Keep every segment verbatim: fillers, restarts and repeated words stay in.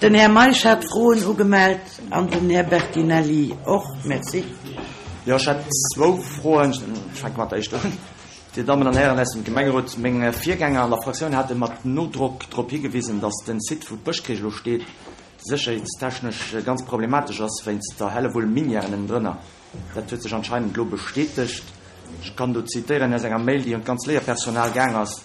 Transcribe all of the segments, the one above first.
Den Här Meisch hat Froen ugemellt an den Här Bertinelli och. Merci. Jo, ech hätt zwou Froen. Ech fänke mat der éischter un. Dir Dammen an Hären aus dem Gemengerot, meng Virgänger an der Fraktioun hate mat Nodrock drop higewisen, datt den Site, wou d'Bëschkierch elo steet, sécherheetstechnesch ganz problematesch ass wéinst der Hellewull Minièren ënnendrënner. Dat huet sech anscheinend elo bestätegt. Ech kann do zitéieren aus enger Mail, déi un d'ganz Léierpersonal gaang ass,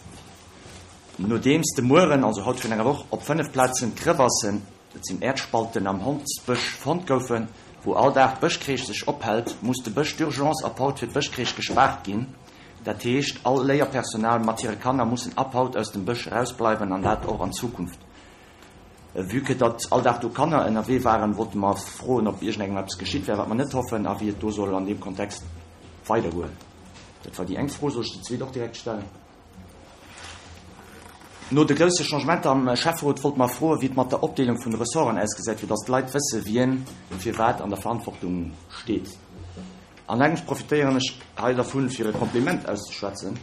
Nodeems de Mueren, also haut virun enger Woch, op fënnef Plazen Crevassen, dat sinn Äerdspalten, am Hondsbësch fonnt goufen, wou all Dag d'Bëschkreesch sech ophält, muss de Bësch d'urgence ab haut fir d'Bëschkreesch gespaart ginn. Dat heescht, all Léierpersonal mat hire Kanner mussen ab haut aus dem Bësch erausbleiwen an dat och an Zukunft. Vue que datt all Dag do Kanner ënnerwee waren, wollte mer froen, ob iergendengem eppes geschitt wär, wat mer net hoffen, a wéi et do soll an deem Kontext weidergoen. Dat war déi eng Fro. Soll ech déi zweet och direkt stellen? No de grousse Changementer am Schäfferot wollte mer froen, wéi et mat der Opdeelung vun de Ressorten ausgesäit, fir datt d'Leit wësse wien fir wat an der Verantwortung steet. An engems profitéieren ech hei dervun, fir e Kompliment auszeschwätzen.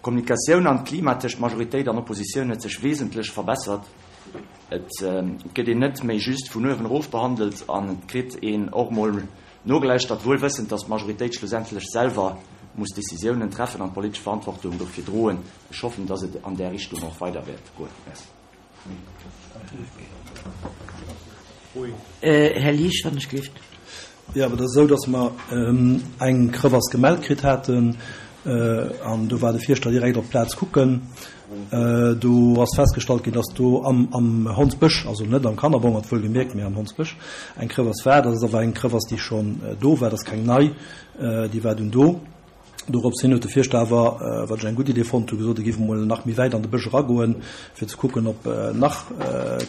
D'Kommunikatioun an d'Klima tëscht Majoritéit an Oppositioun huet sech wesentlech verbessert. Et gëtt een net méi just vun uewen erof behandelt an et kritt een och mol nogelauschtert, wuel wëssend, datt d'Majoritéit schlussendlech selwer muss Decisiounen treffen an d'politesch Verantwortung dofir droen. Ech hoffen, datt et an där Richtung och weider wäert goen. Merci. Här Liesch, wann ech gelift. Jo, awer et ass esou, datt mer eng Crevasse gemellt kritt haten an do war de Fierschter direkt op d'Plaz kucken. Do ass festgestallt ginn, datt do am am Hondsbësch, also net am Kannerbongert wuelgemierkt, mee am Hondsbësch eng Crevasse war. Dat ass awer eng Crevasse, déi schonn do war, dat ass keng nei, déi war dunn do. Dorops hin huet de Fierschter awer, wat ech eng gutt Idee fonnt hu, gesot, e géif emol nach méi wäit an de Bësch eragoen, fir ze kucken, ob nach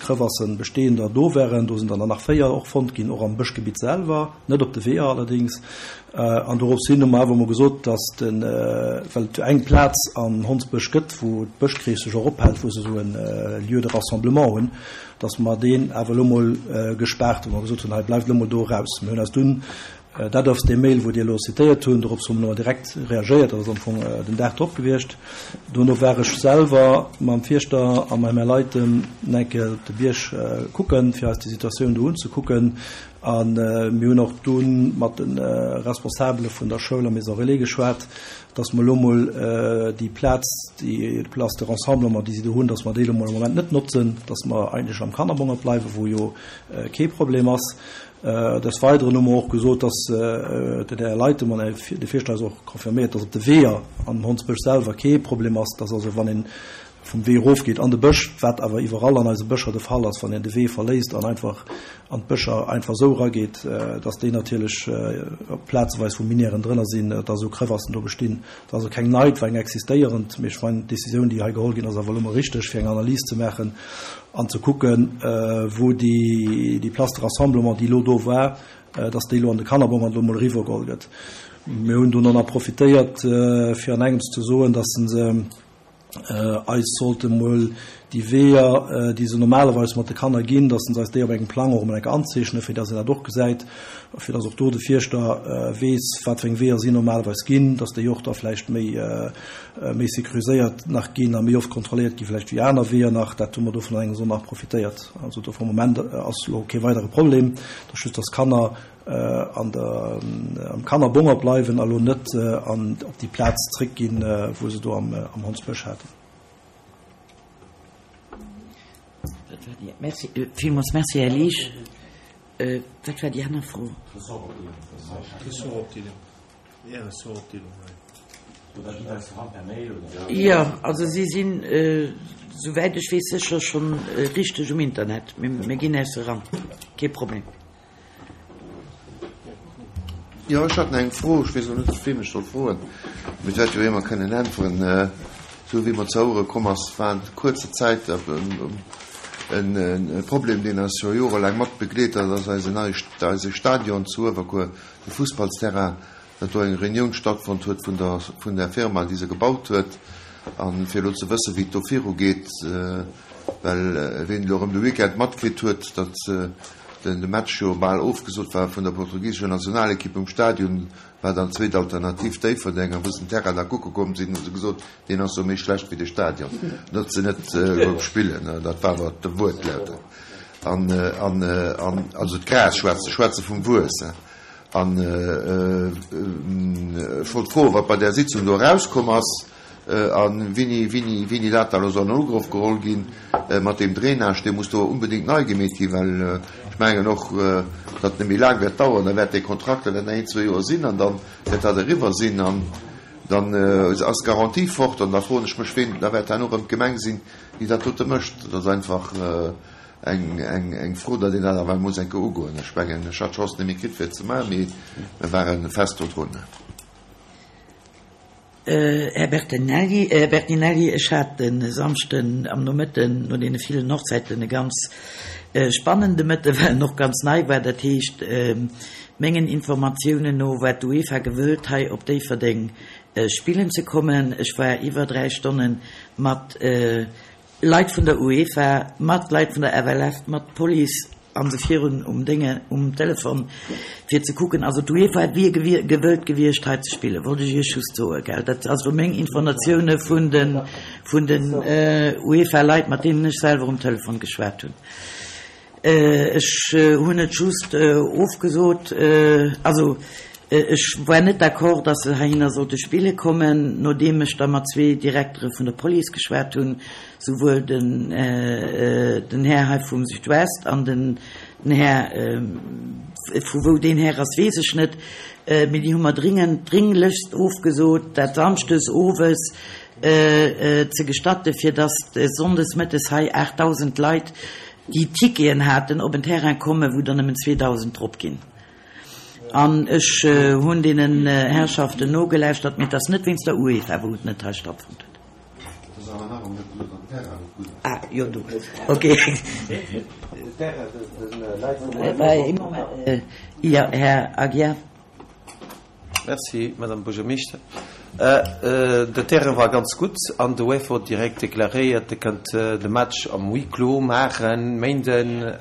Crevassen, bestehender, do wären. Do sinn der nach véier och fonnt ginn, och am Bëschgebitt selwer, net op de Weeër allerdéngs. An dorops hin hu mer awer emol gesot, dass de, well et jo eng Plaz am Hondsbësch gëtt, wou d'Bëschkrees sech och ophält, wou se esou e Lieu de rassemblement hunn, dass mer deen awer elo emol gespaart hunn, wou mer gesot hunn, hei bleift elo emol do eraus. Mir hunn eis dunn Dat ass dee Mail, wou Dir elo zitéiert hunn. Dorops hu mer noer direkt reagéiert. Dat ass am Fong den Dag drop gewiescht. Dono war ech selwer mam Fierschter a mam Här Leiten eng Kéier op de Bierg kucken, fir eis déi Situatioun do unzekucken. A mir hunn och dunn mat de Responsabele vun der Schoul a Maison Relais geschwat, dass mer elo mol déi Plaz, déi Place de rassemblement, déi si do hunn, dass mer déi elo mol am Moment net notzen, dass mer eigentlech am Kannerbongert bleiwen, wou jo kee Problem ass. Des Weideren hu mer och gesot, dass den Här Leithem an de Fierschter eis och confirméiert, dass op de Weeër am Hondsbësch selwer kee Problem ass, dass also wann ee vum Wee erofgeet an de Bësch, wat awer iwwerall an eise Bëscher de Fall ass, wann een de Wee verléisst an einfach an d'Bëscher einfach esou erageet, dass déi natierlech plazeweis, wou Minièren drënner sinn, dass esou Crevassen do bestinn. Dat ass also keng nei, et war eng existéierend, mee ech mengen, d'Décisioun, déi hei geholl ginn ass, awer elo mol richteg, fir eng Analys ze maachen an ze kucken, wou déi Place de rassemblement, déi elo do war, dass déi elo an de Kannerbongert elo mol eriwwergeholl gëtt. Mir hunn dunn och nach profitéiert, fir an engems ze soen, dass se eis sollte mol déi Weeër, déi se normalerweis mat de Kanner ginn, dass se eis déi op engem Plang och emol eng Kéier anzeechnen, fir dass een dat och gesäit, fir dass och do de Fierschter weess, wat fir eng Weeër si normalerweis ginn, dass déi och da vläicht méi méi sécuriséiert nach ginn a méi oft kontrolléiert gi vläicht wéi aner Weeër nach. Dat hu mer dovun an engem Sonn nach profitéiert. Also do vum Moment ass elo kee weidere Problem, et ass just, dass d'Kanner an der am Kannerbonger bleiwen a lo net an op déi Plaz zréckginn, wou se do am am Hondsbësch haten. Dat war déi. Merci, villmools merci, Här Liesch. Wat war déi aner Fro? Jo, also si sinn, souwäit ech weess, sécher schonn richteg um Internet. Mir ginn äis eran, kee Problem. Jo, ech hat nach eng Fro. Ech weess elo net, wem ech soll froen, mee et wäert jo ee mer kënnen äntweren. Esou wéi mer ze Ouere komm ass, war an kuerzer Zäit e Problem, deen eis scho jorelaang mat begleet, dat ass eisen neie, eise Stadion zu Uewerkuer, de Fussballsterrain, datt do eng Reunioun stattfonnt huet vun der, vun der Firma, déi se gebaut huet, a fir elo ze wëssen, wéi et do virugeet, well ween elo erëm de Weekend matkritt huet, datt den de Match jo bal ofgesot war vun der portugisescher Nationalekipp um Stadion, war dann d'zweet Alternativ Déifferdeng. A wou se den Terrain da kucke komm sinn, hu se gesot, deen ass jo méi schlecht wéi de Stadion, datt se net gouf spillen. Dat war awer de Wuertlaut. An, an, an, also d'Gras, schwätze, schwätze vum Wuess. An ech wollt froen, wat bei där Sitzung do erauskomm ass a wéini, wéini, wéini dat da elo soll an Ugrëff geholl ginn mat deem Drainage. Dee muss do unbedéngt nei gemeet ginn, well ech mengen och, datt et net méi laang wäert daueren. Da wäert dee Kontrakt, dat wäert nach een, zwee Joer sinn an da wäert dat eriwwer sinn an dann ass d'Garantie fort. An da froen ech mech, ween, da wäert herno erëm d'Gemeng sinn, déi dat dote mécht. Dat ass einfach. Eng, eng, eng Fro, datt een dat awer muss eng Kéier ugoen. Ech mengen, ech hat d'Chance net méi kritt, fir et ze maachen, mee mir ware fest do drun. Här Bertinelli, Här Bertinelli, ech hat de Samschden am Nomëtten no deene villen Hochzäiten e ganz spannende Mëtten, well en och ganz nei war. Dat heescht, mengen Informatiounen no war d'UEFA gewëllt, hei op Déifferdeng spillen ze kommen. Ech war iwwer dräi Stonne mat Leit vun der UEFA, mat Leit vun der F L F, mat Police an sou virun um Dénge um Telefon fir ze kucken. Also d'UEFA wier gewëllt gewiescht hei ze spillen, wollt ech Iech just soen, gell. Dat also meng Informatioune vun den vun den UEFA-Leit, mat deenen ech selwer um Telefon geschwat hunn. Ech hunn et just ofgesot, also ech war net d'accord, datt se heihinner sollte spille kommen, nodeem ech da mat zwee Direktere vun der Police geschwat hunn, souwuel den den Här hei vum Südwest an den den Här, vu wou deen Här ass, weess ech net, mee déi hu mer dringend, dringlechst ofgesot, dat samschdes owes ze gestatte fir datt sonndes mëttes hei aachtdausend Leit, déi Ticketen haten, op en Terrain kommen, wou der nëmmen zweedausend drop ginn. An ech hunn deenen Herrschaften nogelauschtert, mee et ass net wéinst der UEFA, wou et net hei stattfonnt huet. Ah, jo, du. Okay. Jo, Här Aguiar. Merci, Madame Buergermeeschter. De Terrain war ganz gutt an de UEFA huet direkt deklaréiert, e kënnt de Match am Huis clos maachen, Méinden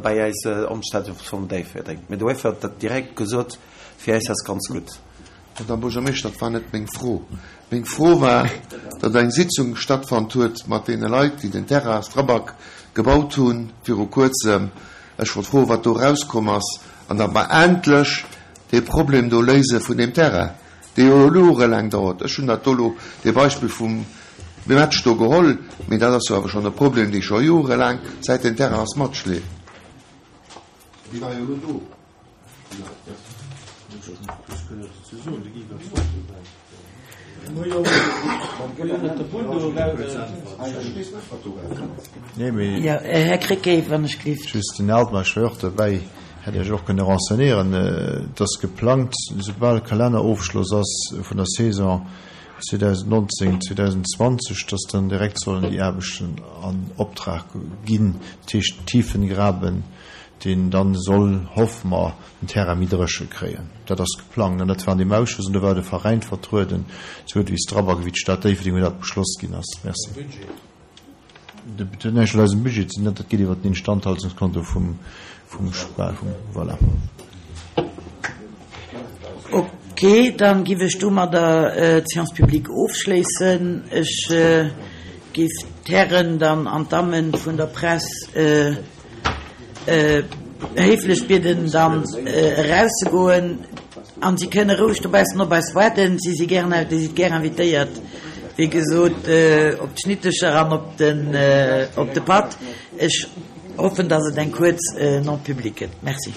bei eis am Stadion vum Déifferdeng. Mee de UEFA huet dat direkt gesot, fir eis ass ganz gutt. Madame Buergermeeschter, dat war net meng Fro. Meng Fro war, datt eng Sitzung stattfonnt huet mat deene Leit, déi den Terrain Strabag gebaut hu viru Kuerzem. Ech wollt froen, wat do erauskomm ass an datt mer endlech dee Problem do léise vun deem Terrain, dee jo elo jorelaang dauert. Ech hunn dat do elo, dee Beispill vum Match do geholl, mee dat ass jo awer schonn e Problem, dee scho jorelaang, säit deen Terrain ass, matschleeft. Déi war jo elo do. Här Krecké, wann ech gelift. Just den Altmaier, ech war och derbäi, hätt Iech och kënne renseignéieren. Et ass geplangt, soubal Kalennerofschloss ass vun der Saison zweedausendnonzéng, zweedausendzwanzeg, dass dann direkt sollen déi Aarbechten an Optrag ginn, dat heescht Tiefengraben, deen dann soll, hoffe mer, den Terrain méi dréche kréien. Dat ass geplangt an dat war an deem Ausschuss an do war de Veräin vertrueden, souwuel wéi Strabag wéi d'Stad Déifferdeng, wou dat beschloss ginn ass. Merci. Dat huet näischt mat eisem Budget ze dinn, dat geet iwwert den Instandhaltungskonto vum, vum Spa, vum, voilà. Ok, dann giff ech domadder d'Séance publique ofschléissen. Ech giff d'Hären dann an d'Dammen vun der Press héiflech bieden, dann erauszegoen. An si kënne roueg dobaussen op eis waarden. Si si gären, Dir sidd gär invitéiert, wéi gesot, op d'Schnittecher an op den, op de Patt. Ech hoffen, dass et eng kuerz Non-publique gëtt. Merci.